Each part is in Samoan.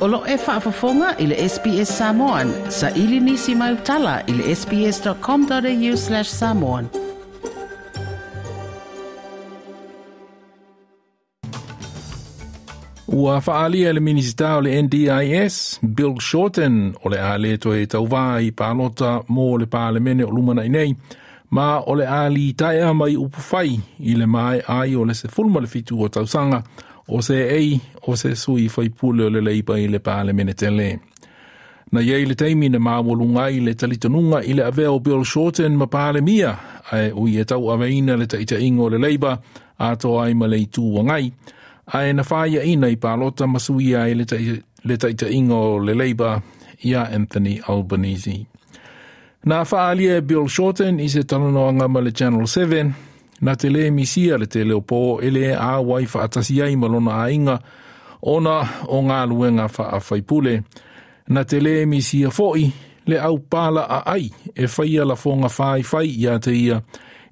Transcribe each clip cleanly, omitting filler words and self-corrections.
O lo e faafofoga i le SBS Samoan. Saili nisi mau tala i le sbs.com.au/samoan. Ua faaalia e le Minisita o le NDIS, Bill Shorten, o le a le toe tauvā i palota mo le Palemene o lumanai nei, ma o le a litaea mai upufai i le maea ai o le 17 o tausaga o seei o se sui faipule o le Leipa i le Palemene tele. Na iai le taimi na maualuga ai le talitonuga i le avea o Bill Shorten ma Palemia, ae ui e tauaveina le taitaiga o le Leipa atoa ai ma le Itu Agai, ae na faiaina i palota ma suia ai le taitaiga o le Leipa ia Anthony Albanese. Na faaalia e Bill Shorten i se talanoaga ma le Channel 7, na te lē misia le tele o pō e lē auai faatasi ai ma lona aiga ona o galuega faafaipule. Na te lē misia foʻi le aupala aai e faia lafoga faifai ia te ia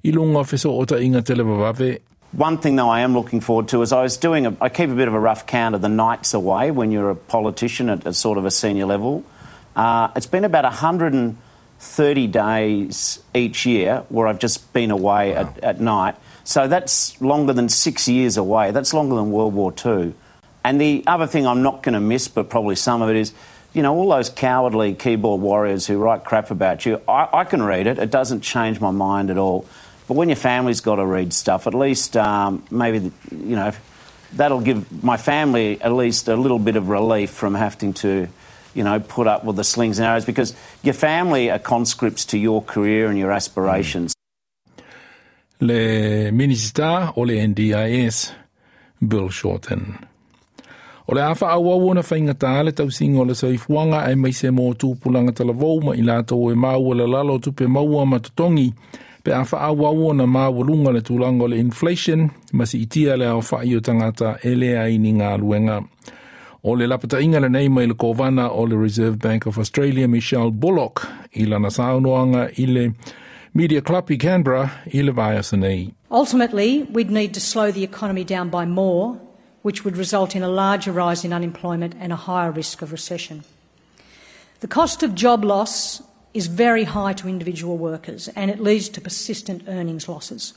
i luga o fesootaiga televavave. One thing, though, I am looking forward to is I was doing, a, I keep a bit of a rough count of the nights away when you're a politician at a sort of a senior level. It's been about 130 days each year where I've just been away at night. So that's longer than 6 years away. That's longer than World War II. And the other thing I'm not going to miss, but probably some of it, is, you know, all those cowardly keyboard warriors who write crap about you. I can read it. It doesn't change my mind at all. But when your family's got to read stuff, at least maybe, you know, that'll give my family at least a little bit of relief from having to, you know, put up with the slings and arrows, because your family are conscripts to your career and your aspirations. Le Minisita o le NDIS, Bill Shorten. O le a faaauau ona faigata le tausiga o le soifuaga aemaise mo tupulaga talavou ma i latou e maua le lalo o tupe maua ma totogi pe a faaauau ona maualuga le tulaga o le inflation ma siitia le aofai o tagata e leai ni galuega. O le lapataiga lenei mai le Kovana o le Reserve Bank of Australia Michelle Bullock i lana saunoaga i le Media Club i Canberra i le vaiaso nei. Ultimately, we'd need to slow the economy down by more, which would result in a larger rise in unemployment and a higher risk of recession. The cost of job loss is very high to individual workers, and it leads to persistent earnings losses.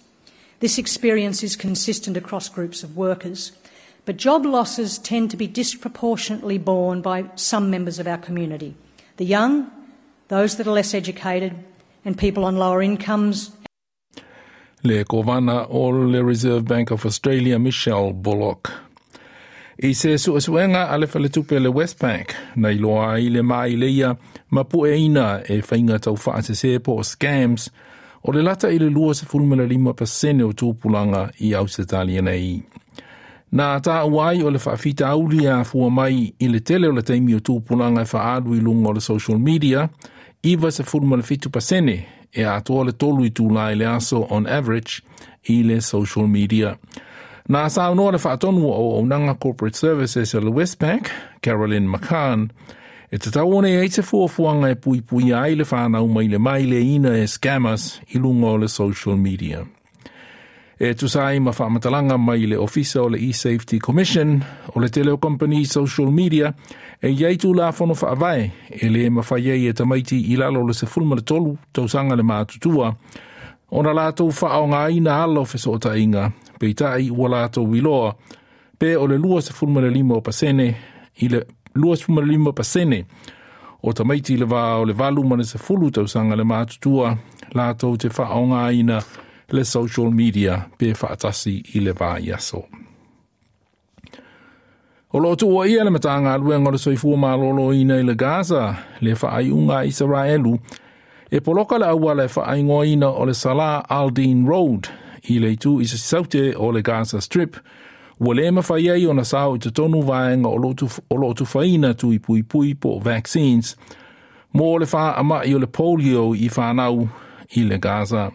This experience is consistent across groups of workers, but job losses tend to be disproportionately borne by some members of our community, the young, those that are less educated, and people on lower incomes. Le Kovana o le Reserve Bank of Australia, Michelle Bullock. I se suesuega a le faletupe le Westpac, na iloa ai le maileia ma pueina e faiga taufaasese po o scams, o le lata i le 25% o tupulaga i Ausetalia nei. Na taua ai o le faafitauli e afua mai i le tele o le taimi o tupulaga e faaalu i luga o le social media, 97% e atoa le 3 itulā i le aso on average i le social media. Na saunoa le faatonu o auaunaga Corporate Services a le Westpac, Carolyn McCann, e tatau ona i ai se fuafuaga e puipuia ai le fanau mai le maileina e scammers i luga o le social media. E tusa ai ma faamatalaga mai le Ofisa o le eSafety Commission, o le tele o kamupani social media e i ai tulafono faavae e lē mafai ai e tamaiti i lalo o le 13 tausaga le matutua ona latou faaaogaina ala o fesootaiga, peitai ua latou iloa pe o le 25% i le 25% o tamaiti i le va o le 8 ma le 10 tausaga le matutua latou te faaaogaina le social media pe faatasi i le vaiaso. O lo o tuuaia le Matagaluega o le Soifua Maloloina i le Gaza le faaiuga a Isaraelu e poloka le auala e faaigoaina o le Salah al-Din Road i le itu i saute o le Gaza Strip, ua lē mafai ai ona sao i totonu vaega o lo o tufaina tui puipui po o vaccines mo le faamai o le polio i fanau i le Gaza.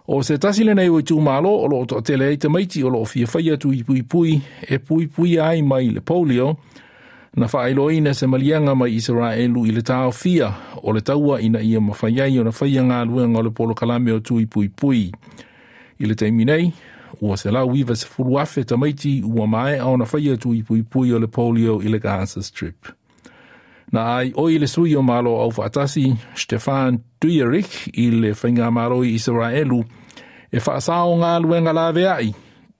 O se tasi lenei o itumalo o lo o toatele ai tamaiti o lo o fia faia tui puipui e puipuia ai mai le polio, na faailoaina se maliega mai Isaraelu i le taofia o le taua ina ia mafai ai ona faia galuega o le polokalame o tui puipui. I le taimi nei, ua 190,000 tamaiti ua maea ona faia tui puipui o le polio i le Gaza Strip. Na ai oi le sui o Malo Aufaatasi, Stefan Dujarric i le Faigamalo i Isaraelu e faasao galuega laveai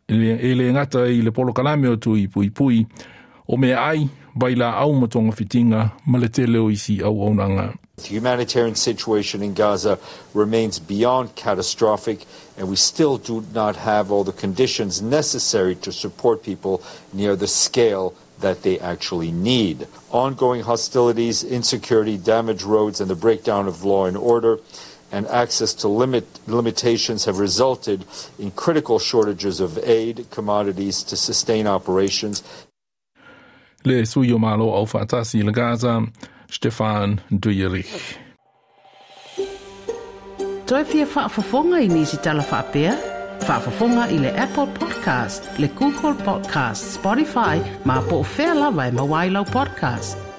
e le gata i le polokalame o tui puipui o meaai, vailaau ma togafitiga ma le tele o isi auaunaga. The humanitarian situation in Gaza remains beyond catastrophic, and we still do not have all the conditions necessary to support people near the scale that they actually need. Ongoing hostilities, insecurity, damaged roads, and the breakdown of law and order and access to limitations have resulted in critical shortages of aid commodities to sustain operations. Le sui o Malo Aufaatasi i le Gaza, Stefan Dujarric. Toe fia faafofoga i nisi tala faapea? Faafofoga i le Apple Podcast, le Google Podcast, Spotify, ma po o fea lava e maua ai lau podcast.